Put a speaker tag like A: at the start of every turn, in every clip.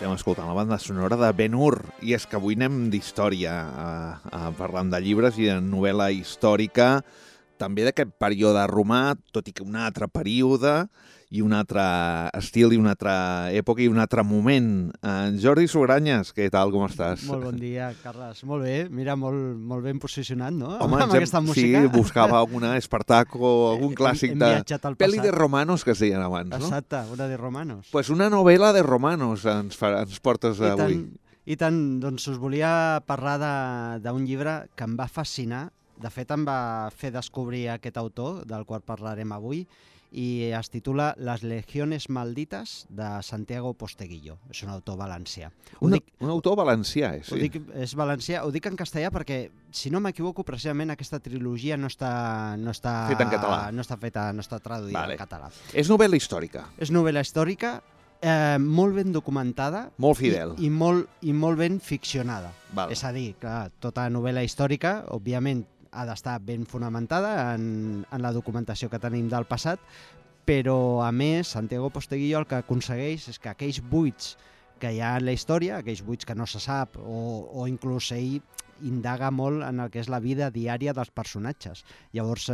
A: Estem escoltant la banda sonora de Ben-Hur, i és que avui anem d'història, parlant de llibres i de novel·la històrica, també d'aquest període romà, tot i que un altre període, i un altre estil, i una altra època, i un altre moment. Jordi Sugranyes, què tal, com estàs?
B: Molt bon dia, Carles. Molt bé, mira, molt ben posicionat, no?
A: Home,
B: amb aquesta música.
A: Sí, buscava alguna Espartaco, algun clàssic
B: Hem viatjat al
A: Peli
B: passat.
A: de romanos, que es deien abans, no?
B: Exacte, una de romanos.
A: Pues una novel·la de romanos ens portes avui.
B: I tant, doncs us volia parlar d'un llibre que em va fascinar. De fet, em va fer descobrir aquest autor, del qual parlarem avui, i es titula Les legiones malditas, de Santiago Posteguillo. És un autor valencià.
A: Un autor valencià, sí.
B: És valencià. Ho dic en castellà perquè, si no m'equivoco, precisament aquesta trilogia no està
A: feta en català.
B: No està traduïda en català.
A: És novel·la històrica.
B: És novel·la històrica, molt ben documentada.
A: Molt fidel.
B: I molt ben ficcionada.
A: Val.
B: És a dir, clar, tota novel·la històrica, òbviament, ha d'estar ben fonamentada en la documentació que tenim del passat, però, a més, Santiago Posteguillo el que aconsegueix és que aquells buits que hi ha en la història, aquells buits que no se sap, o inclús ell indaga molt en el que és la vida diària dels personatges. Llavors,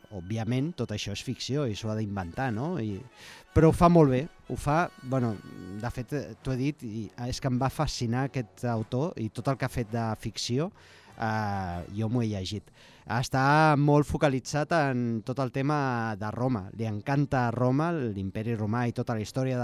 B: òbviament, tot això és ficció i s'ho ha d'inventar, no? Però ho fa molt bé. De fet, t'ho he dit, és que em va fascinar aquest autor i tot el que ha fet de ficció. Jo m'ho he llegit. Està molt focalitzat en tot el tema de Roma. Li encanta Roma, l'imperi romà i tota la història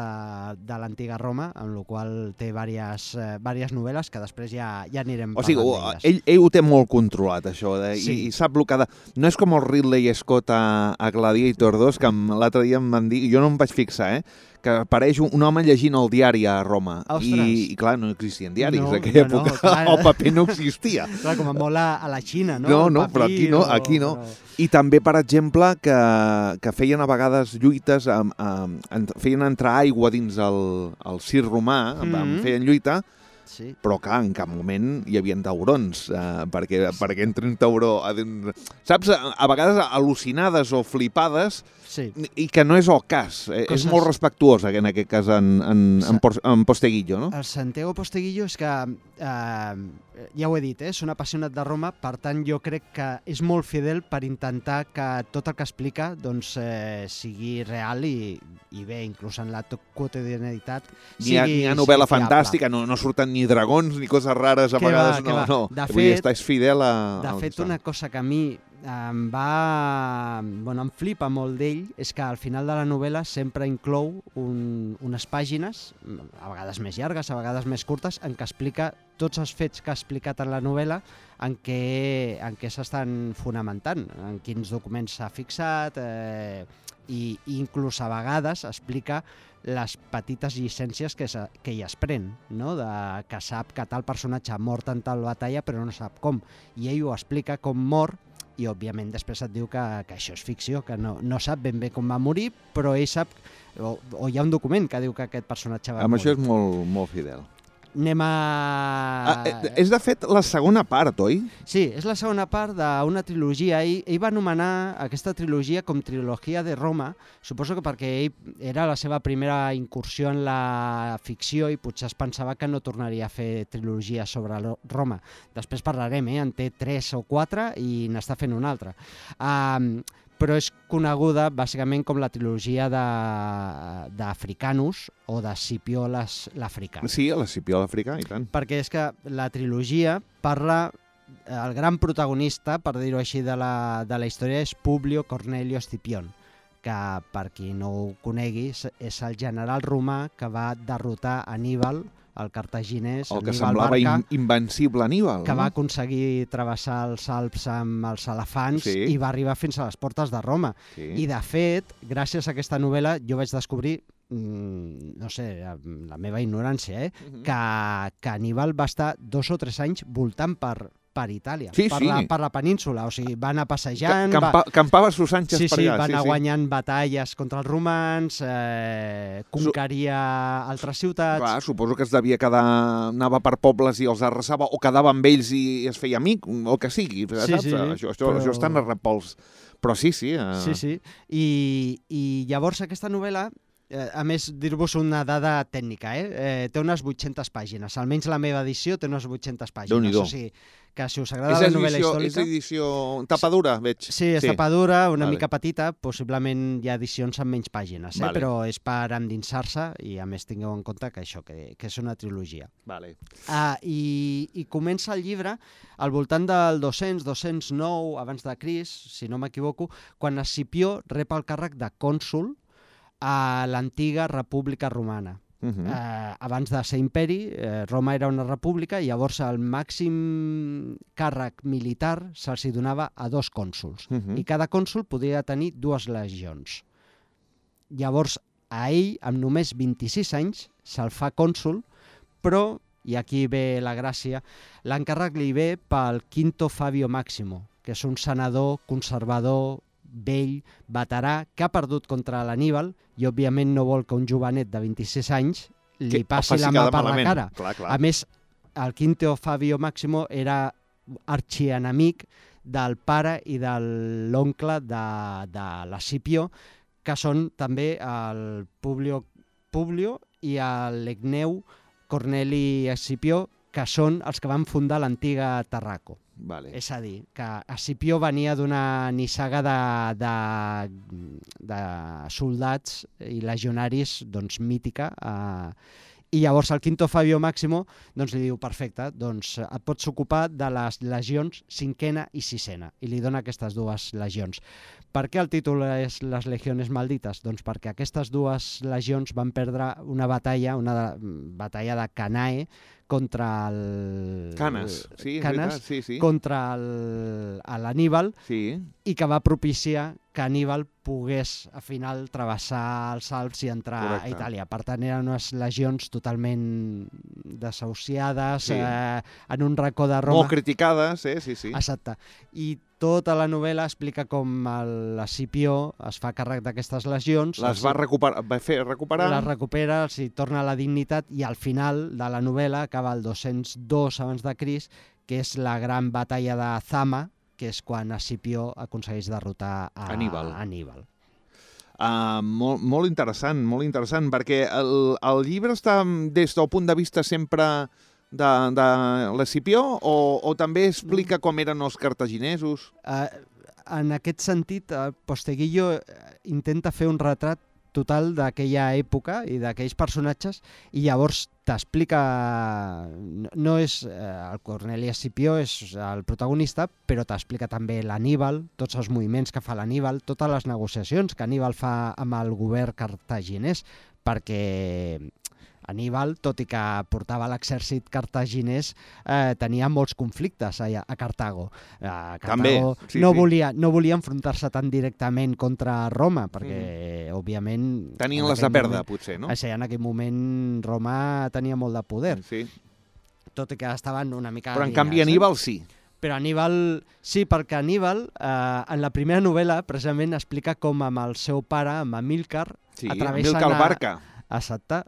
B: de l'antiga Roma, amb la qual té diverses novel·les que després ja anirem parlant d'elles.
A: O sigui, ell ho té molt controlat, això,
B: sí.
A: I sap el que ha de... No és com el Ridley Scott a Gladiator 2, que l'altre dia em van dir, jo no em vaig fixar, que apareix un home llegint el diari a Roma. I clar, no existien diaris en aquella època. El paper no existia.
B: Clar, com a molt a la Xina, no?
A: No, però aquí no. I també, per exemple, que feien a vegades lluites, feien entrar aigua dins el circ romà, feien lluita,
B: sí.
A: Però clar, en cap moment hi havia taurons, perquè entri un tauró... Saps, a vegades al·lucinades o flipades,
B: sí.
A: I que no és el cas. És molt respectuós, en aquest cas, en Posteguillo, no?
B: El Santiago Posteguillo és que, ja ho he dit, és un apassionat de Roma, per tant jo crec que és molt fidel per intentar que tot el que explica sigui real i bé, inclús en la quotidianitat
A: Hi ha novel·la fantàstica, no surten ni dragons ni coses rares, a vegades no. Vull dir, és fidel a...
B: De fet, una cosa que a mi em flipa molt d'ell és que al final de la novel·la sempre inclou unes pàgines, a vegades més llargues, a vegades més curtes, en què explica tots els fets que ha explicat en la novel·la en què s'estan fonamentant, en quins documents s'ha fixat, i inclús a vegades explica les petites llicències que hi es pren, no? Que sap que tal personatge ha mort en tal batalla però no sap com, i ell ho explica com mor, i òbviament després et diu que això és ficció, que no sap ben bé com va morir, però ell sap, o hi ha un document que diu que aquest personatge va morir.
A: Amb això és molt, molt fidel.
B: Anem a...
A: És de fet la segona part, oi?
B: Sí, és la segona part d'una trilogia. Ell va anomenar aquesta trilogia com Trilogia de Roma, suposo que perquè ell era la seva primera incursió en la ficció i potser es pensava que no tornaria a fer trilogia sobre Roma. Després parlarem, en té 3 o 4 i n'està fent una altra. Però és coneguda bàsicament com la trilogia d'Africanus o de Scipió l'Africà.
A: Sí, l'Escipió l'Africà, i tant.
B: Perquè és que la trilogia parla... El gran protagonista, per dir-ho així, de la història és Publio Cornelio Scipion, que, per qui no ho conegui, és el general romà que va derrotar Aníbal, el cartaginès,
A: el que
B: Aníbal
A: semblava
B: Barca,
A: invencible Aníbal,
B: que va aconseguir travessar els Alps amb els elefants i va arribar fins a les portes de Roma.
A: Sí.
B: I, de fet, gràcies a aquesta novel·la, jo vaig descobrir, no sé, la meva ignorància, que Aníbal va estar 2 o 3 anys voltant per Itàlia, per la península, o sigui, va anar passejant...
A: Campava sus anxes per allà.
B: Va anar guanyant batalles contra els romans, conqueria altres ciutats...
A: Clar, suposo que es devia quedar, anava per pobles i els arrasava, o quedava amb ells i es feia amic, o que sigui, saps? Això està narrat pels... Però sí.
B: Sí. I llavors aquesta novel·la A més, dir-vos una dada tècnica, té unes 800 pàgines. Almenys la meva edició té unes 800 pàgines.
A: Déu-n'hi-do.
B: O sigui, que si us agrada la novel·la històrica...
A: És edició tapadura, veig.
B: Sí, és tapadura, una mica petita, possiblement hi ha edicions amb menys pàgines, però és per endinsar-se i a més tingueu en compte que això, que és una trilogia.
A: Vale.
B: I comença el llibre al voltant del 200-209 abans de Crist, si no m'equivoco, quan Escipió rep el càrrec de cònsol a l'antiga República Romana. Abans de ser imperi, Roma era una república i llavors el màxim càrrec militar se'ls donava a 2 cònsols i cada cònsol podia tenir 2 legions. Llavors a ell, amb només 26 anys, se'l fa cònsol, però, i aquí ve la gràcia, l'encàrrec li ve pel Quinto Fabio Máximo, que és un senador conservador, vell, veterà, que ha perdut contra l'Aníbal i òbviament no vol que un jovenet de 26 anys li passi la mà per la cara.
A: Clar.
B: A més, el Quinto Fabio Máximo era arxienemic del pare i de l'oncle de l'Escipió, que són també el Publio i l'Egneu Corneli Escipió, que són els que van fundar l'antiga Tarraco.
A: Vale.
B: És a dir, que Escipió venia d'una nissaga de soldats i legionaris mítica, i llavors el Quinto Fabio Máximo li diu, perfecte, et pots ocupar de les legions 5ª i 6ª, i li dona aquestes 2 legions. Per què el títol és Les Legiones Maldites? Doncs perquè aquestes 2 legions van perdre una batalla de Canae, contra el...
A: Canes, sí,
B: Canes,
A: sí.
B: Contra l'Aníbal, i que va propiciar que Aníbal pogués, al final, travessar els Alps i entrar a Itàlia. Per tant, eren unes legions totalment desahuciades, en un racó de Roma.
A: Molt criticades, sí.
B: Exacte. I tota la novel·la explica com l'Escipió es fa càrrec d'aquestes legions.
A: Les va recuperar?
B: Les recupera, els hi torna la dignitat i al final de la novel·la acaba el 202 abans de Crist, que és la gran batalla de Zama, que és quan Escipió aconsegueix derrotar a Aníbal.
A: Molt interessant, perquè el llibre està des del punt de vista sempre de l'Escipió o també explica com eren els cartaginesos?
B: En aquest sentit, Posteguillo intenta fer un retrat total d'aquella època i d'aquells personatges i llavors t'explica... No és el Corneli Escipió, és el protagonista, però t'explica també l'Aníbal, tots els moviments que fa l'Aníbal, totes les negociacions que Aníbal fa amb el govern cartaginès, perquè Aníbal, tot i que portava l'exèrcit cartaginès, tenia molts conflictes a Cartago. Cartago no volia enfrontar-se tan directament contra Roma, perquè, òbviament...
A: Tenien les de perdre, potser, no?
B: En aquell moment Roma tenia molt de poder.
A: Sí.
B: Tot i que estaven una mica...
A: Però, en canvi, Aníbal sí.
B: Però Aníbal... Sí, perquè Aníbal, en la primera novel·la, precisament explica com amb el seu pare, amb Amílcar...
A: Sí, Amílcar Barca.
B: Exacte,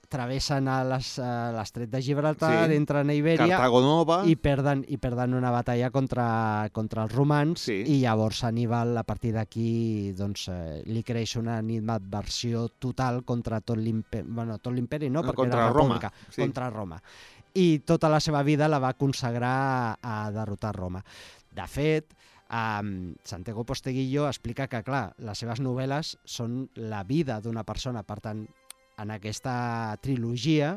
B: travessen l'estret de Gibraltar, entren a Ibèria
A: Cartago Nova
B: i perden una batalla contra els romans i llavors Aníbal, a partir d'aquí, li creix una animadversió total contra tot l'imperi, perquè era república, contra Roma. I tota la seva vida la va consagrar a derrotar Roma. De fet, Santiago Posteguillo explica que, clar, les seves novel·les són la vida d'una persona, per tant, en aquesta trilogia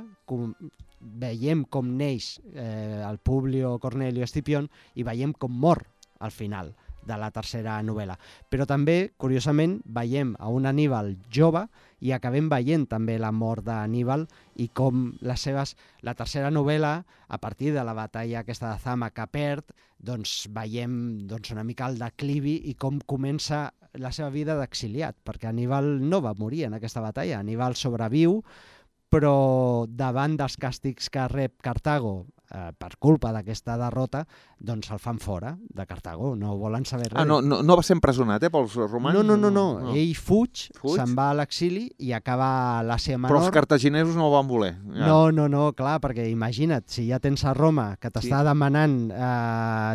B: veiem com neix el Publio Cornelio Escipión i veiem com mor al final de la tercera novel·la. Però també, curiosament, veiem a un Aníbal jove i acabem veient també la mort d'Aníbal i com la tercera novel·la, a partir de la batalla aquesta de Zama que perd, veiem una mica el declivi i com comença la seva vida d'exiliat, perquè Aníbal no va morir en aquesta batalla. Aníbal sobreviu, però davant dels càstigs que rep Cartago per culpa d'aquesta derrota, doncs el fan fora de Cartago, no volen saber res.
A: No va ser empresonat, pels romans?
B: No. Ell fuig, se'n va a l'exili i acaba a l'Àsia Menor.
A: Però els cartaginesos no ho van voler. Ja.
B: No, clar, perquè imagina't, si ja tens a Roma, que t'està demanant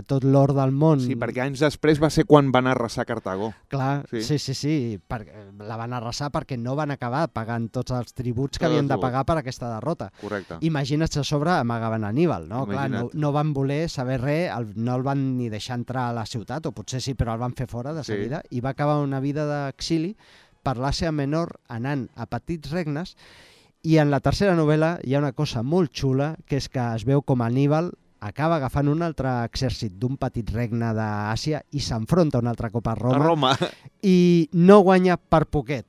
B: tot l'or del món...
A: Sí, perquè anys després va ser quan van arrasar Cartago.
B: Clar, sí, la van arrasar perquè no van acabar pagant tots els tributs que havien de pagar per aquesta derrota.
A: Correcte.
B: Imagina't si a sobre amagaven Aníbal, no? Clar, no van voler saber res, no el van ni deixar entrar a la ciutat, o potser sí, però el van fer fora de seguida, i va acabar una vida d'exili per l'Àsia Menor anant a petits regnes, i en la tercera novel·la hi ha una cosa molt xula, que és que es veu com Aníbal acaba agafant un altre exèrcit d'un petit regne d'Àsia i s'enfronta un altre cop a Roma. I no guanya per poquet.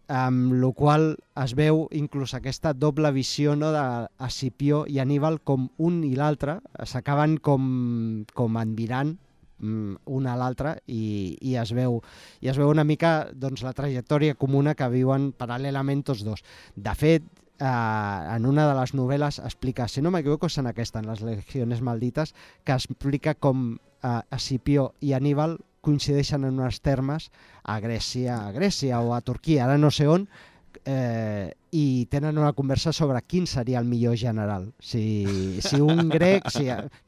B: Amb la qual es veu inclús aquesta doble visió, no, d'Escipió i Aníbal, com un i l'altre s'acaben com admirant un a l'altre i es veu una mica doncs, la trajectòria comuna que viuen paral·lelament tots dos. De fet, en una de les novel·les explica, si no m'equivoco és en aquesta, en les Legiones Maldites, que explica com Escipió i Aníbal coincideixen en uns termes a Grècia o a Turquia, ara no sé on, i tenen una conversa sobre quin seria el millor general. Si un grec...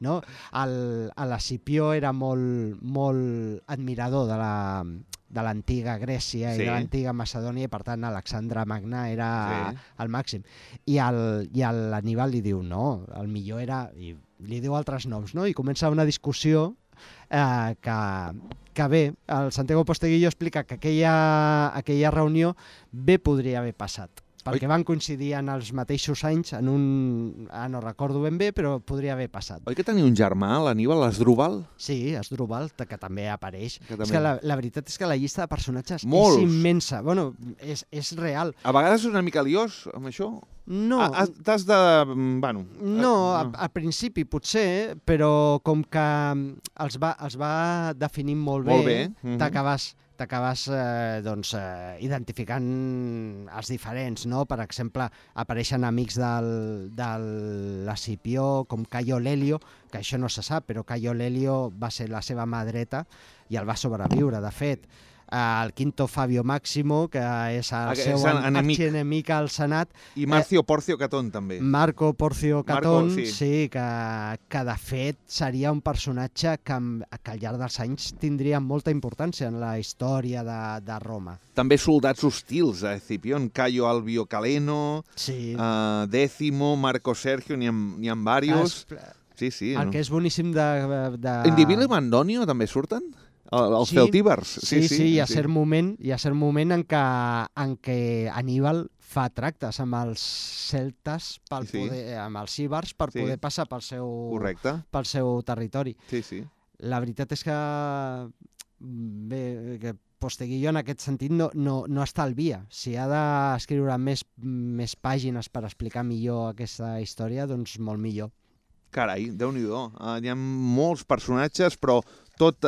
B: no? L'Escipió era molt admirador de l'antiga Grècia i de l'antiga Macedònia, i per tant Alexandre Magna era el màxim. I l'Aníbal li diu, no, el millor era... I li diu altres noms, no? I comença una discussió que bé, el Santiago Posteguillo explica que aquella reunió bé podria haver passat, perquè van coincidir en els mateixos anys, no recordo ben bé, però podria haver passat.
A: Oi que tenia un germà, l'Aníbal, l'Asdrúbal?
B: Sí, Asdrúbal, que també apareix. És que la veritat és que la llista de personatges
A: Molts.
B: És immensa. Bueno, és real.
A: A vegades és una mica liós, amb això?
B: No.
A: T'has de... Bueno...
B: No, al principi potser, però com que els va definint molt bé. T'acabes identificant els diferents, no? Per exemple, apareixen amics de l'Escipió, com Caio Lelio, que això no se sap, però Caio Lelio va ser la seva mà dreta i el va sobreviure, de fet. El Quinto Fabio Máximo, que és el seu arxienemic al Senat.
A: I Marcio Porcio Catón, també.
B: Marco Porcio Catón, sí, que de fet seria un personatge que al llarg dels anys tindria molta importància en la història de Roma.
A: També soldats hostils, Escipión, Caio Albio Caleno, Décimo, Marco Sergio, n'hi ha diversos. Sí.
B: El que és boníssim de...
A: Indivilo i Mandonio també surten? Els celtívers.
B: Sí, hi ha cert moment en què Aníbal fa tractes amb els celtes, amb els íbers, per poder passar pel seu territori.
A: Sí.
B: La veritat és que Posteguillo en aquest sentit no estalvia. Si ha d'escriure més pàgines per explicar millor aquesta història, doncs molt millor.
A: Carai, Déu-n'hi-do. Hi ha molts personatges, però tot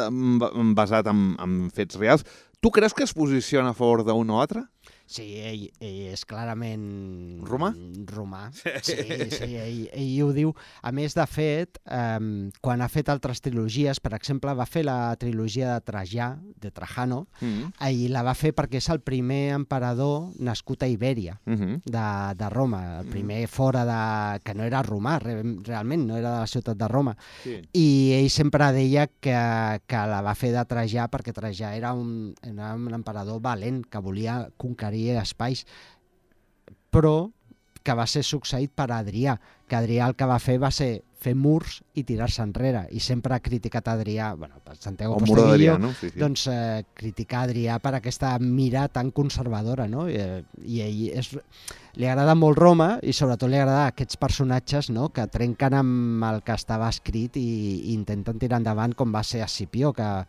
A: basat en fets reals. Tu creus que es posiciona a favor d'un o altre?
B: Sí, ell és clarament...
A: Romà?
B: Sí, ell ho diu. A més, de fet, quan ha fet altres trilogies, per exemple, va fer la trilogia de Trajà, de Trajano, i la va fer perquè és el primer emperador nascut a Ibèria, de Roma, el primer fora de... que no era romà, realment, no era de la ciutat de Roma. I ell sempre deia que la va fer de Trajà perquè Trajà era un emperador valent, que volia conquerir espais, però que va ser succeït per Adrià, que Adrià el que va fer va ser fer murs i tirar-se enrere, i sempre ha criticat Adrià, per Santiago Posteguillo, doncs criticar Adrià per aquesta mira tan conservadora, no? I ell li agrada molt Roma, i sobretot li agrada aquests personatges, no? Que trenquen amb el que estava escrit i intenten tirar endavant, com va ser Escipió, que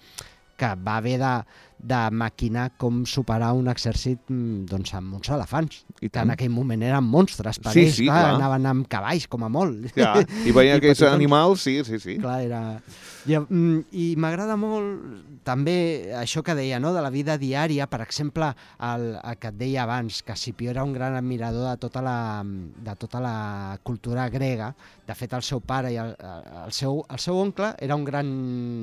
B: va haver de maquinar com superar un exèrcit doncs, amb uns elefants,
A: I
B: que
A: tant.
B: en aquell moment eren monstres per
A: Sí,
B: ells,
A: sí,
B: clar,
A: clar.
B: anaven amb cavalls com a molt.
A: Ja, i veient aquells
B: petitons.
A: animals, sí.
B: Clar, era... I m'agrada molt també això que deia, no?, de la vida diària, per exemple, el que et deia abans, que Escipió era un gran admirador de tota la cultura grega. De fet, el seu pare i el seu oncle era un gran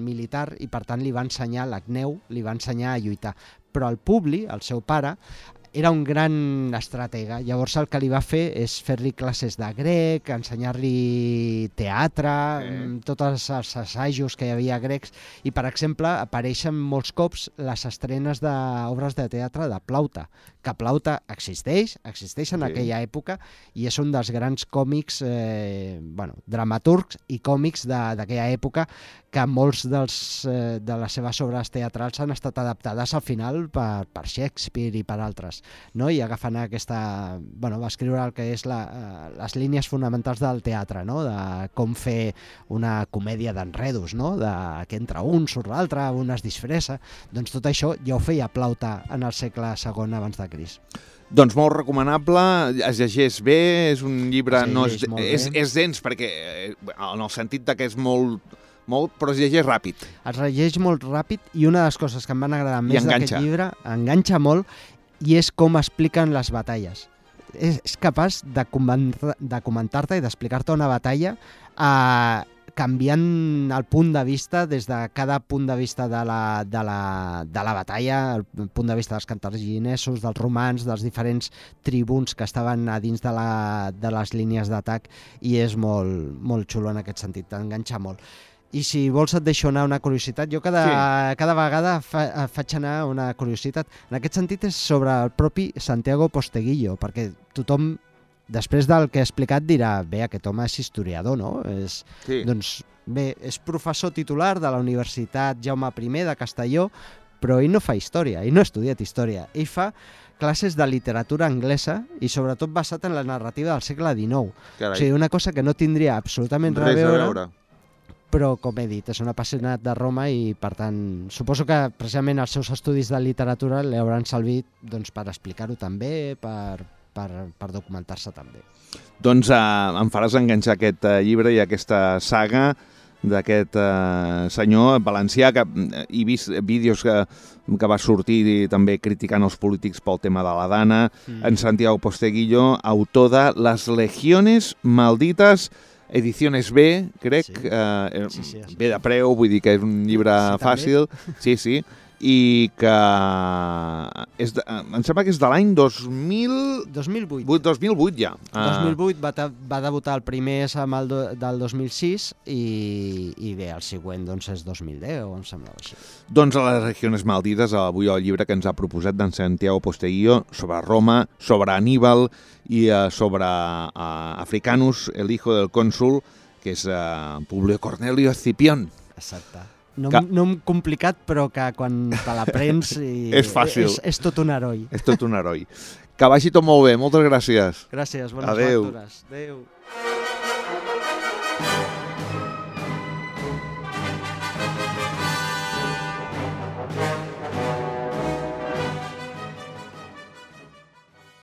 B: militar i, per tant, li va ensenyar, l'Agneu, li va ensenyar a lluitar. Però el Publi, el seu pare, era un gran estratega. Llavors el que li va fer és fer-li classes de grec, ensenyar-li teatre, tots els assajos que hi havia grecs, i, per exemple, apareixen molts cops les estrenes d'obres de teatre de Plaute, que Plaute existeix en aquella època, i és un dels grans còmics, dramaturgs i còmics d'aquella època, que molts de les seves obres teatrals han estat adaptades al final per Shakespeare i per altres, no? I agafant aquesta... va escriure el que és les línies fonamentals del teatre, no? De com fer una comèdia d'enredos, no? De que entra un, surt l'altre, un es disfressa. Doncs tot això ja ho feia Plaute en el segle II abans de Crist.
A: Doncs molt recomanable, es llegeix bé, és un llibre... És dens, perquè en el sentit que és molt, però es llegeix ràpid.
B: Es llegeix molt ràpid, i una de les coses que em van agradar més d'aquest llibre, enganxa molt, i és com expliquen les batalles. És capaç de comentar-te i d'explicar-te una batalla canviant el punt de vista des de cada punt de vista de la batalla, el punt de vista dels cartaginesos, dels romans, dels diferents tribuns que estaven a dins de les línies d'atac, i és molt, molt xulo en aquest sentit, t'enganxa molt. I si vols et deixo anar una curiositat. Jo cada vegada faig anar una curiositat. En aquest sentit és sobre el propi Santiago Posteguillo, perquè tothom, després del que he explicat, dirà, bé, aquest home és historiador, no? Doncs bé, és professor titular de la Universitat Jaume I de Castelló, però ell no fa història, ell no ha estudiat història, ell fa classes de literatura anglesa i sobretot basat en la narrativa del segle XIX.
A: Carai.
B: O sigui, una cosa que no tindria absolutament res a veure, però, com he dit, és un apassionat de Roma i, per tant, suposo que precisament els seus estudis de literatura li hauran servit per explicar-ho també, per documentar-se també.
A: Doncs em faràs enganxar aquest llibre i aquesta saga d'aquest senyor valencià, que he vist vídeos que va sortir també criticant els polítics pel tema de la Dana, en Santiago Posteguillo, autor de Les Legiones Malditas, Ediciones B, crec, bé de preu, vull dir que és un llibre fàcil, sí, i que em sembla que és de l'any 2008 ja.
B: 2008 va debutar el primer del 2006 i bé, el següent és 2010, em semblava així.
A: Doncs a Les Regiones Maldites, avui el llibre que ens ha proposat d'en Santiago Posteguillo sobre Roma, sobre Aníbal i sobre Africanus, el hijo del cònsul, que és Publio Cornelio Escipión.
B: Exacte. Nom complicat, però que quan te l'aprens
A: és fàcil.
B: És tot un heroi.
A: És tot un heroi. Que vagi tot molt bé. Moltes gràcies.
B: Gràcies, bones lectures. Adéu.